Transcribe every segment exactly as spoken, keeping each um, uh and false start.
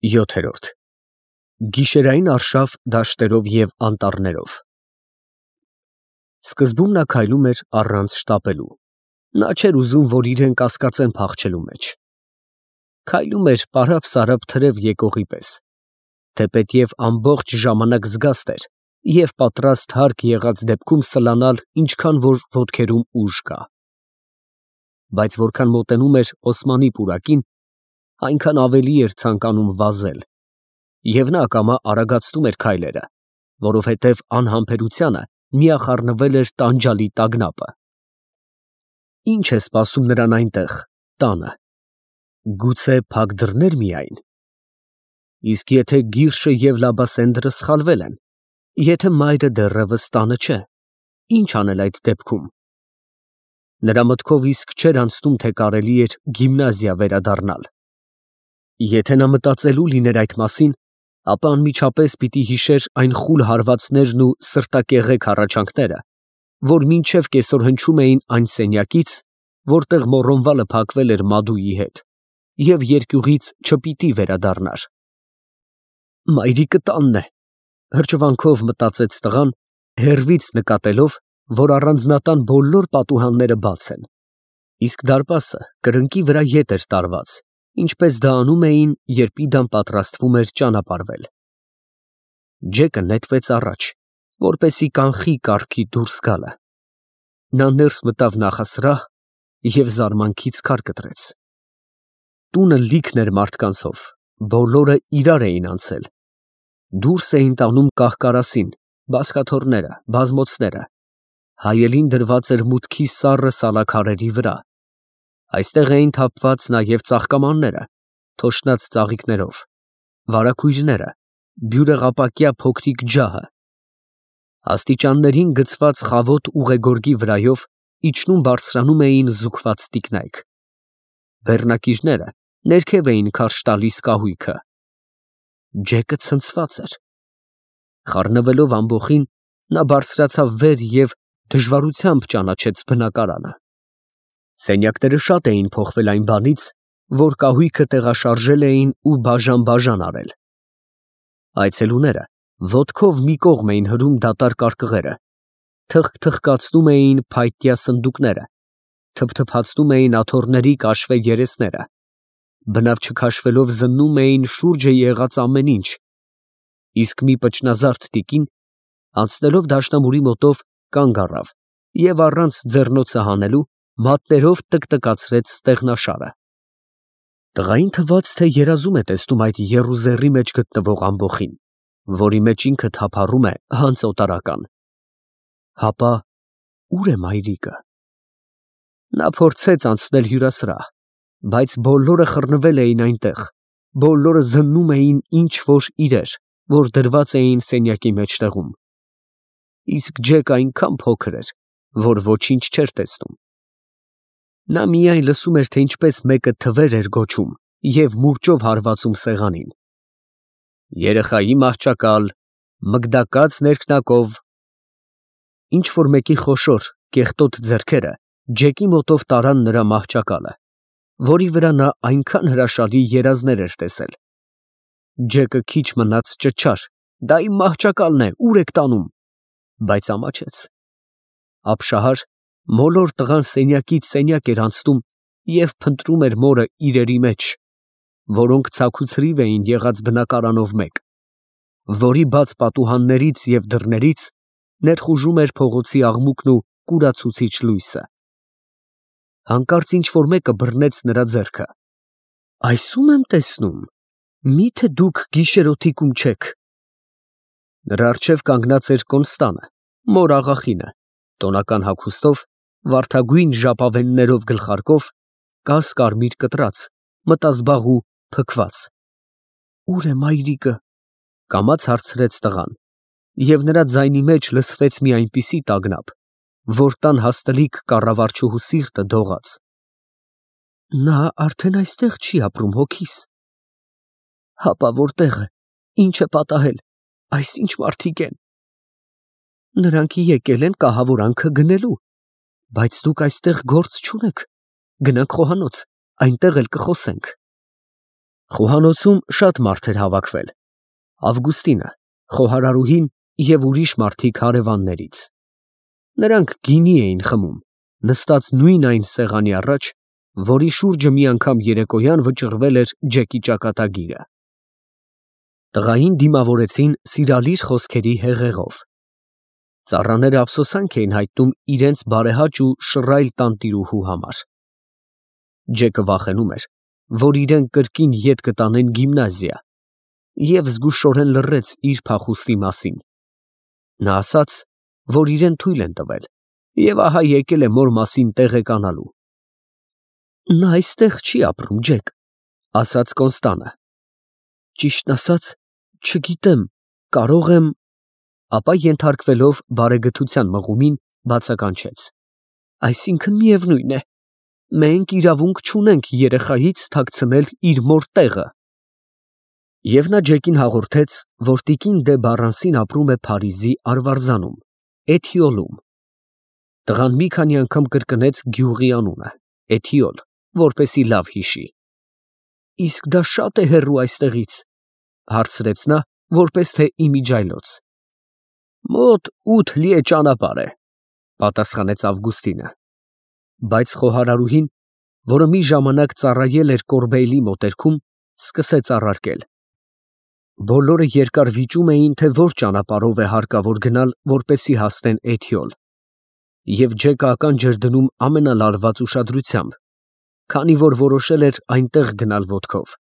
յոթ Գիշերային արշավ դաշտերով և անտառներով։ Սկզբում նա քայլում էր առանց շտապելու. նա չէր ուզում, որ իրեն կասկածեն փախչելու մեջ. քայլում էր պարապ֊սարապ թրև եկողի պես, թեպետև ամբողջ ժամանակ զգաստ էր և պատրաստ հարկ եղած դեպքում սլանալ ինչքան որ ոտքերում ուժ կա։ Բայց որքան մոտենում էր Օսմանի պուրակին, այնքան ավելի էր ցանկանում վազել, և նա ակամա արագացնում էր քայլերը, որովհետև անհամբերությանը միախառնվել էր տանջալի տագնապը։ Ի՞նչ է սպասում նրան այնտեղ, տանը, գուցե փակ դռնե՞ր միայն։ Իսկ եթե Գիրշը և Լաբասենդրը սխալվել են, եթե մայրը դեռևս տանը չէ, ի՞նչ անել այդ դեպքում։ Նրա մտքով իսկ չէր անցնում, թե կարելի էր գիմնազիա վերադառնալ։ Եթե նա մտածելու լիներ այդ մասին, ապա անմիջապես պիտի հիշեր այն խուլ հարվածներն ու սրտակեղեկ հառաչանքները, որ մինչև կեսօր հնչում էին այն սենյակից, որտեղ Մոռոնվալը փակվել էր Մադուի հետ, և երկյուղից չպիտի վերադառնար։ «Մայրիկը տանն է», հրճվանքով մտածեց տղան, հեռվից նկատելով, որ առանձնատան բոլոր պատուհանները բաց են, իսկ դարպասը կրկնակի վրա ետ էր տարված, ինչպես դա անում էին, երբ Իդան պատրաստվում էր ճանապարհվել։ Ջեկը նետվեց առաջ, որպեսզի կանխի կառքի դուրս գալը։ Նա ներս մտավ նախասրահ և զարմանքից քար կտրեց։ Տունը լիքն էր մարդկանցով, բոլորը իրար էին անցել։ Դուրս էին տանում կահ֊կարասին, բազկաթոռները, բազմոցները, հայելին դրված էր մուտքի սառը սալաքարերի վրա, այստեղ էին թափված նաև ծաղկամանները, թոշնած ծաղիկներով, վարագույրները, բյուրեղապակյա փոքրիկ ջահը։ Աստիճաններին գցված խավոտ ուղեգորգի վրայով իջնում֊բարձրանում էին զուգված տիկնայք։ Բեռնակիրները ներքև էին քարշ տալիս կահույքը։ Ջեկը ցնցված էր։ Խառնվելով ամբոխին, նա բարձրացավ վեր և դժվարությամբ ճանաչեց բնակարանը։ Սենյակները շատ էին փոխվել այն բանից, որ կահույքը տեղաշարժել էին ու բաժան֊բաժան արել։ Այցելուները ոտքով մի կողմ էին հրում դատարկ արկղերը, թխկթխկացնում էին փայտյա սնդուկները, թփթփացնում էին աթոռների կաշվե երեսները, բնավ չքաշվելով զննում էին շուրջը եղած ամեն ինչ, իսկ մի պճնազարդ տիկին, անցնելով դաշնամուրի մոտով, կանգ առավ և առանց ձեռնոցը հանելու, մատներով տկտկացրեց ստեղնաշարը։ Տղային թվաց, թե երազում է տեսնում այդ եռուզեռի մեջ գտնվող ամբոխին, որի մեջ ինքը թափառում է հանց օտարական։ Հապա ո՞ւր է մայրիկը։ Նա փորձեց անցնել հյուրասրահ, բայց բոլորը խռնվել էին այնտեղ, բոլորը զննում էին ինչ֊որ իրեր, որ դրված էին սենյակի մեջտեղում։ Իսկ Ջեկը այնքան փոքր էր, որ ոչինչ չէր տեսնում։ Նա միայն լսում էր, թե ինչպես մեկը թվեր էր գոչում և մուրճով հարվածում սեղանին. «Երեխայի մահճակալ, մգդակած ներքնակով»։ Ինչ֊որ մեկի խոշոր, կեղտոտ ձեռքերը Ջեկի մոտով տարան նրա մահճակալը, որի վրա նա այնքան հրաշալի երազներ էր տեսել։ Ջեկը քիչ մնաց ճչար. «Դա իմ մահճակալն է, ո՞ւր եք տանում»։ Բայց ամաչեց։ Ապշահար, մոլոր տղան սենյակից սենյակ էր անցնում և փնտրում էր մորը իրերի մեջ, որոնք ցաքուցրիվ էին եղած բնակարանով մեկ, որի բաց պատուհաններից և դռներից ներխուժում էր փողոցի աղմուկն ու կուրացուցիչ լույսը։ Հանկարծ ինչ֊որ մեկը բռնեց նրա ձեռքը։ «Այս ո՞ւմ եմ տեսնում, մի՞թե դուք գիշերօթիկում չեք»։ Նրա առջև կանգնած էր Կոնստանը, մոր աղախինը, տոնական հագուստով, վարդագույն ժապավեններով գլխարկով, կաս֊կարմիր կտրած, մտազբաղ ու փքված։ «Ո՞ւր է մայրիկը», կամաց հարցրեց տղան, և նրա ձայնի մեջ լսվեց մի այնպիսի տագնապ, որ տան հաստլիկ կառավարչուհու սիրտը դողաց։ «Նա արդեն այստեղ չի ապրում, հոգիս»։ «Հապա որտե՞ղ է, ի՞նչ է պատահել, այս ի՞նչ մարդիկ են»։ «Նրանք եկել են կահավորանքը գնելու, բայց դուք այստեղ գործ չունեք, գնանք խոհանոց, այնտեղ էլ կխոսենք»։ Խոհանոցում շատ մարդ էր հավաքվել. Ավգուստինը, խոհարարուհին և ուրիշ մարդիկ հարևաններից. նրանք գինի էին խմում, նստած նույն այն սեղանի առաջ, որի շուրջը մի անգամ երեկոյան վճռվել էր Ջեկի ճակատագիրը։ Տղային դիմավորեցին սիրալիր խոսքերի հեղեղով. ծառաները ափսոսանք էին հայտնում իրենց բարեհաճ ու շռայլ տանտիրուհու համար։ Ջեկը վախենում էր, որ իրեն կրկին ետ կտանեն գիմնազիա, և զգուշորեն լռեց իր փախուստի մասին։ Նա ասաց, որ իրեն թույլ են տվել, և ահա եկել է մոր մասին տեղեկանալու։ Նա այստեղ չի ապրում, Ջեք, ասաց Կոնստանը։ Ճիշտն ասած, չգիտեմ, կարող եմ… Ապա ենթարկվելով բարեգթության մղումին, բացականչեց. այսինքն միևնույն է, մենք իրավունք չունենք երեխայից թաքցնել իր մոր տեղը։ Եվ նա Ջեկին հաղորդեց, որ տիկին դե Բառանսին ապրում է Փարիզի արվարձանում, Էթիոլում։ Տղան մի քանի անգամ կրկնեց գյուղի անունը՝ Էթիոլ, որպեսզի լավ հիշի։ Իսկ դա շա՞տ է հեռու այստեղից, հարցրեց նա, որպես թե իմիջիայլոց։ Մոտ ութ լիե ճանապարհ է, պատասխանեց Ավգուստինը։ Բայց խոհարարուհին, որը մի ժամանակ ծառայել էր Կորբեյլի մոտերքում, սկսեց առարկել. բոլորը երկար վիճում էին, թե որ ճանապարհով է հարկավոր գնալ, որպեսզի հասնեն Էթիոլ, և Ջեկը ականջ էր դնում ամենալարված ուշադրությամբ, քանի որ որոշել էր այնտեղ գնալ ոտքով։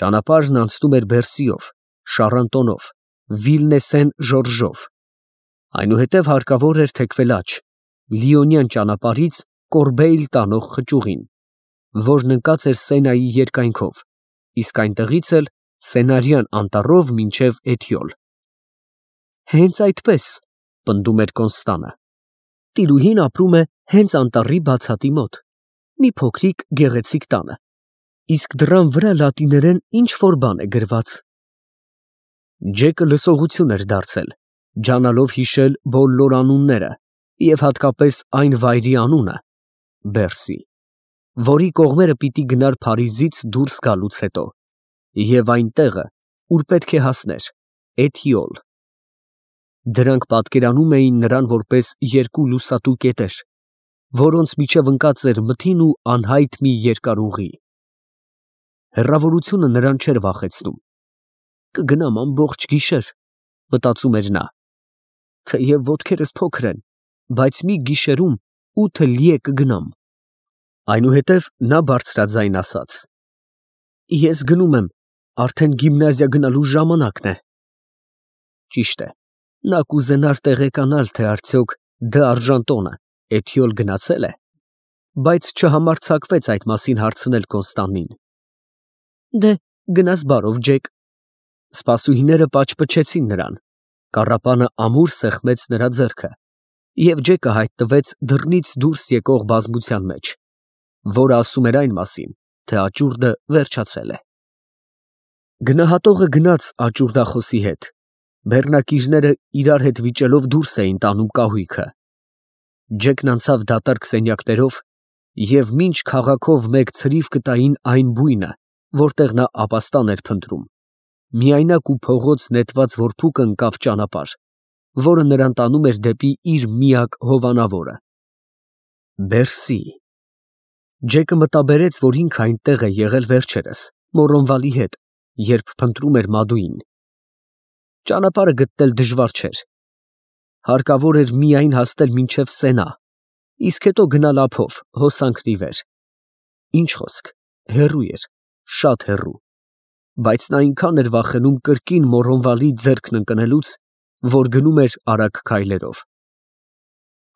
Ճանապարհն անցնում էր Բերսիով, Շառանտոնով, Վիլնեսեն Ժորժով, այնուհետև հարկավոր էր թեքվել աջ, Լիոնյան ճանապարհից Կորբեյլ տանող խճուղին, որն ընկած էր Սենայի երկայնքով, իսկ այնտեղից էլ Սենարյան անտառով մինչև Էթիոլ։ Հենց այդպես, պնդում էր Կոնստանը։ Տիրուհին ապրում է հենց անտառի բացատի մոտ, մի փոքրիկ գեղեցիկ տանը, իսկ դռան վրա լատիներեն ինչ֊որ բան է գրված։ Ջեկը լսողություն էր դարձել, ջանալով հիշել բոլոր անունները և հատկապես այն վայրի անունը՝ Բերսի, որի կողմերը պիտի գնար Փարիզից դուրս գալուց հետո, և այն տեղը, ուր պետք է հասներ՝ Էթիոլ։ Դրանք պատկերանում էին նրան որպես երկու լուսատու կետեր, որոնց միջև ընկած էր մթին ու անհայտ մի երկար ուղի։ Հեռավորությունը նրան չէր վախեցնում։ Կգնամ ամբողջ գիշեր, մտածում էր նա, թեև ոտքերս փոքր են, բայց մի գիշերում ութը լիե կգնամ։ Այնուհետև նա բարձրաձայն ասաց. ես գնում եմ, արդեն գիմնազիա գնալու ժամանակն է։ Ճիշտ է, նա կուզենար տեղեկանալ, թե արդյոք Դ'Արժանտոնը Էթիոլ գնացել է, բայց չհամարձակվեց այդ մասին հարցնել Կոնստանին։ Դե, գնաս բարով, Ջեք։ Սպասուհիները պաճպճեցին նրան, կառապանը ամուր սեղմեց նրա ձեռքը, և Ջեկը հայտնվեց դռնից դուրս եկող բազմության մեջ, որը ասում էր այն մասին, թե աճուրդը վերջացել է։ Գնահատողը գնաց աճուրդախոսի հետ, բեռնակիրները իրար հետ վիճելով դուրս էին տանում կահույքը։ Ջեկն անցավ դատարկ սենյակներով և մինչ քաղաքով մեկ ցրիվ կտային այն բույնը, որտեղ նա ապաստան էր փնտրում, միայնակ ու փողոց նետված որփուկը ընկավ ճանապարհ, որը նրան տանում էր դեպի իր միակ հովանավորը՝ Բերսի։ Ջեկը մտաբերեց, որ ինքը այնտեղ է եղել վերջերս Մորոնվալի հետ, երբ փնտրում էր Մադուին։ Ճանապարհը գտնել դժվար չէր։ Հարկավոր էր միայն հասնել մինչև Սենա, իսկ հետո գնալ ափով հոսանքն ի վեր։ Ինչ խոսք, հեռու էր, շատ հեռու, բայց նա այնքան էր վախենում կրկին Մորոնվալի ձեռքն ընկնելուց, որ գնում էր արագ քայլերով։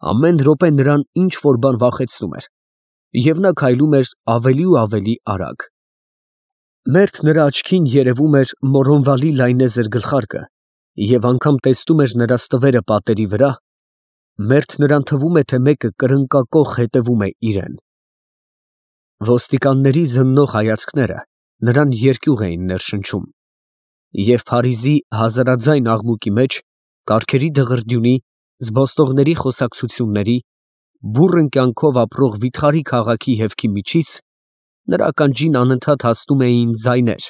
Ամեն րոպե նրան ինչ֊որ բան վախեցնում էր, և նա քայլում էր ավելի ու ավելի արագ։ Մերթ նրա աչքին երևում էր Մորոնվալի լայնեզր գլխարկը և անգամ տեսնում էր նրա ստվերը պատերի վրա, մերթ նրան թվում է, թե մեկը կրնկակոխ հետևում է իրան։ Ոստիկանների զննող հայացքները նրան երկյուղ էին ներշնչում, և Փարիզի հազարաձայն աղմուկի մեջ, կառքերի դղրդյունի, զբոսնողների խոսակցությունների, բուռն կյանքով ապրող վիթխարի քաղաքի հևքի միջից Նրա ականջին անընդհատ հասնում էին ձայներ.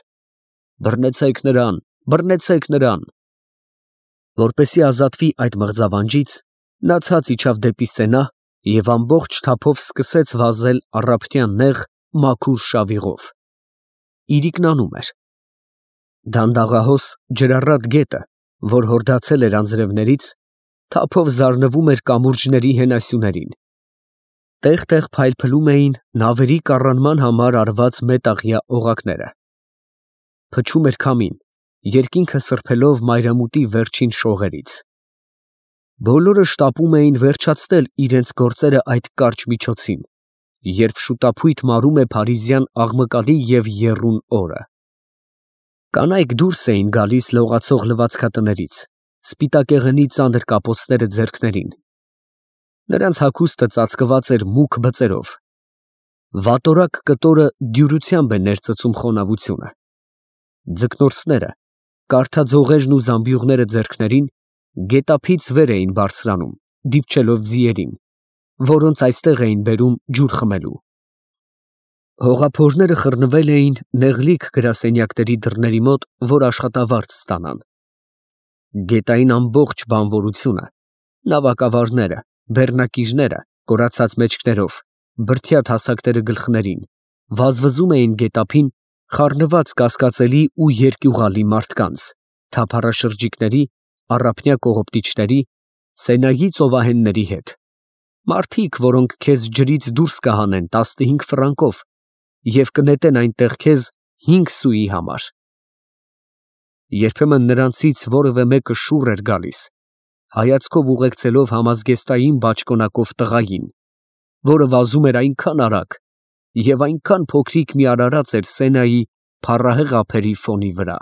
«Բռնեցեք նրան, բռնեցեք նրան»։ Որպեսզի ազատվի այդ մղձավանջից, նա ցած իջավ դեպի սենա և ամբողջ թափով սկսեց վազել առափնյա նեղ, մաքուր շավիղով։ Իրիկնանում էր։ Դանդաղահոս ջրառատ գետը, որ հորդացել էր անձրևներից, թափով զարնվում էր կամուրջների հենասյուներին։ Տեղ֊տեղ փայլփլում էին նավերի կառանման համար արված մետաղյա օղակները։ Փչում էր քամին, երկինքը սրբելով մայրամուտի վերջին շողերից։ Բոլորը շտապում էին վերջացնել իրենց գործերը այդ կարճ միջոցին, երբ շուտափույթ մարում է փարիզյան աղմկալի և եռուն օրը։ Կանայք դուրս էին գալիս լողացող լվացքատներից, սպիտակեղենի ծանր կապոցները ձեռքներին։ Նրանց հագուստը ծածկված էր մուգ բծերով։ Վատորակ կտորը դյուրությամբ է ներծծում խոնավությունը։ Ձկնորսները, կարթաձողերն ու զամբյուղները ձեռքներին, գետափից վեր էին բարձրանում, դիպչելով ձիերին, որոնց այստեղ էին բերում ջուր խմելու։ Հողափորները խռնվել էին նեղլիկ գրասենյակների դռների մոտ, որ աշխատավարձ ստանան։ Գետային ամբողջ բանվորությունը, նավակավարները, բեռնակիրները, կորացած մեջքներով, բրդյա հասակները գլխներին, վազվզում էին գետափին, խառնված կասկածելի ու երկյուղալի մարդկանց, թափառաշրջիկների, առափնյա կողոպտիչների, Սենայի ծովահենների հետ, մարդիկ, որոնք քեզ ջրից դուրս կհանեն տասնհինգ ֆրանկով և կնետեն այնտեղ քեզ հինգ սուի համար։ Երբեմն նրանցից որևէ մեկը շուռ էր գալիս, հայացքով ուղեկցելով համազգեստային բաճկոնակով տղային, որը վազում էր այնքան արագ և այնքան փոքրիկ մի արարած էր Սենայի փառահեղ ափերի ֆոնի վրա։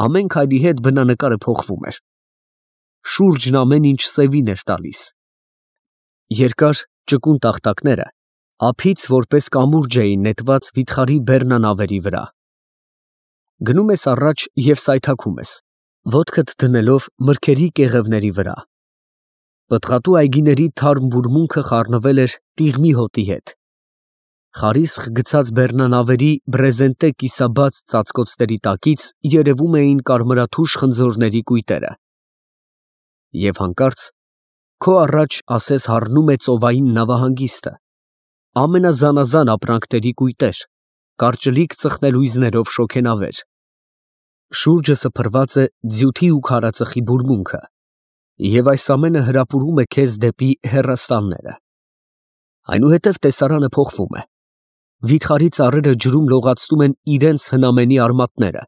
Ամեն քայլի հետ բնանկարը փոխվում էր։ Շուրջն ամեն ինչ սևին էր տալիս։ Երկար ճկուն տախտակները ափից որպես կամուրջ էին նետված վիթխարի բեռնանավերի վրա։ Գնում ես առաջ և սայթաքում ես, ոտքդ դնելով մրգերի կեղևների վրա։ Պտղատու այգիների թարմ բուրմունքը խառնվել էր տիղմի հոտի հետ։ Խարիսխ գցած բեռնանավերի բրեզենտե կիսաբաց ծածկոցների տակից երևում էին կարմրաթուշ խնձորների կույտերը։ Եվ հանկարծ քո առաջ ասես հառնում է ծովային նավահանգիստը, ամենազանազան ապրանքների կույտեր, կարճլիկ ծխնելույզներով շոգենավեր։ Շուրջը սփռված է ձյութի ու քարածխի բուրմունքը, և այս ամենը հրապուրում է քեզ դեպի հեռաստանները։ Այնուհետև տեսարանը փոխվում է։ Վիթխարի ծառերը ջրում լողացնում են իրենց հնամենի արմատները,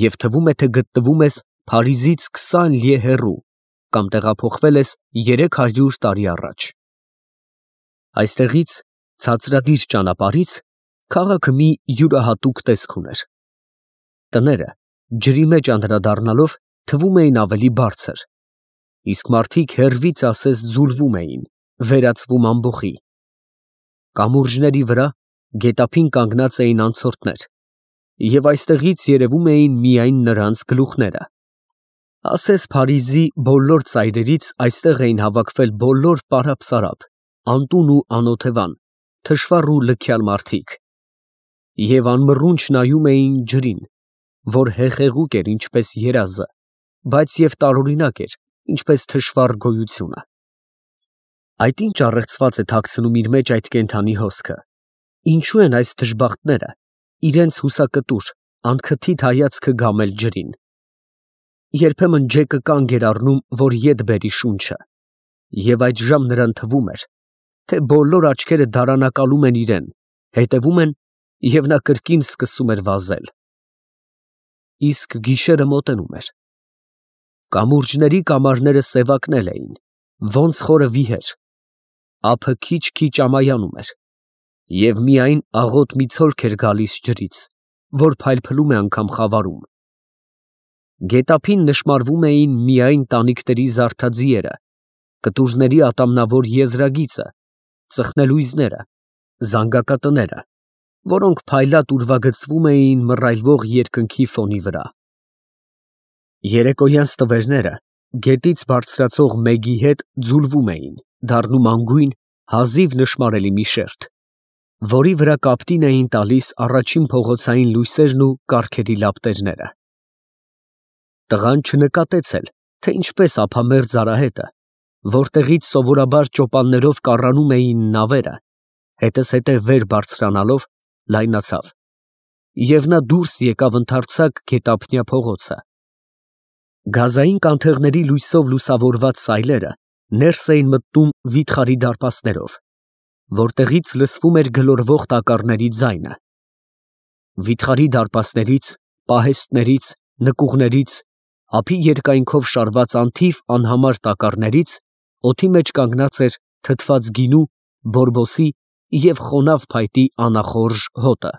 և թվում է, թե գտնվում ես Փարիզից քսան լիե հեռու կամ տեղափոխվել ես երեք հարյուր տարի առաջ։ Այստեղից, ցածրադիր ճանապարհից, քաղաքը մի յուրահատուկ տեսք ուներ։ Տները, ջրի մեջ անդրադառնալով, թվում էին ավելի բարձր, իսկ մարդիկ հեռվից ասես ձուլվում էին, վերածվում ամբոխի։ Կամուրջների վրա գետափին կանգնած էին անցորդներ, և այստեղից երևում էին միայն նրանց գլուխները։ Ասես Փարիզի բոլոր ծայրերից այստեղ էին հավաքվել բոլոր պարապ֊սարապ, անտուն ու անօթևան, թշվառ ու լքյալ մարդիկ, և անմռունչ նայում էին ջրին, որ հեղեղուկ էր ինչպես երազը, բայց և տարօրինակ էր, ինչպես թշվառ գոյությունը։ Այդ ի՞նչ առեղծված է թաքցնում իր մեջ այդ կենդանի հոսքը։ Ինչո՞ւ են այս դժբախտները իրենց հուսակտուր, անքթիթ հայացքը գամել ջրին։ Երբեմն ջեկը կանգ էր առնում, որ ետ բերի շունչը, և այդժամ նրան թվում էր, թե բոլոր աչքերը դարանակալում են իրան, հետևում են, և նա կրկին սկսում էր վազել։ Իսկ գիշերը մոտենում էր։ Կամուրջների կամարները սևակնել էին, ոնց խորը վիհեր, ափը քիչ֊քիչ ամայանում էր, և միայն աղոտ մի ցոլք էր գալիս ջրից, որ փայլփլում է անգամ խավարում։ Գետափին նշմարվում էին միայն տանիքների զարդաձիերը, կտուժների ատամնավոր եզրագիծը, ծխնելույզները, զանգակատները, որոնք փայլատ ուրվագծվում էին մռայլվող երկնքի ֆոնի վրա։ Երեկոյան ստվերները գետից բարձրացող մեգի հետ ձուլվում էին, դառնում անգույն, հազիվ նշմարելի մի շերտ։ որի վրա կապտին էին տալիս առաջին փողոցային լույսերն ու կառքերի լապտերները։ Տղան չնկատեց էլ, թե ինչպես ափամերձ արահետը, որտեղից սովորաբար ճոպաններով կառանում էին նավերը, հետզհետե վեր բարձրանալով, լայնացավ, և նա դուրս եկավ ընդարձակ գետափնյա փողոցը։ Գազային կանթեղների լույսով լուսավորված սայլերը ներս էին մտնում վիթխարի դարպասներով, որտեղից լսվում էր գլորվող տակառների ձայնը։ Վիթխարի դարպասներից, պահեստներից, նկուղներից, ափի երկայնքով շարված անթիվ անհամար տակառներից օդի մեջ կանգնած էր թթված գինու, բորբոսի և խոնավ փայտի անախորժ հոտը։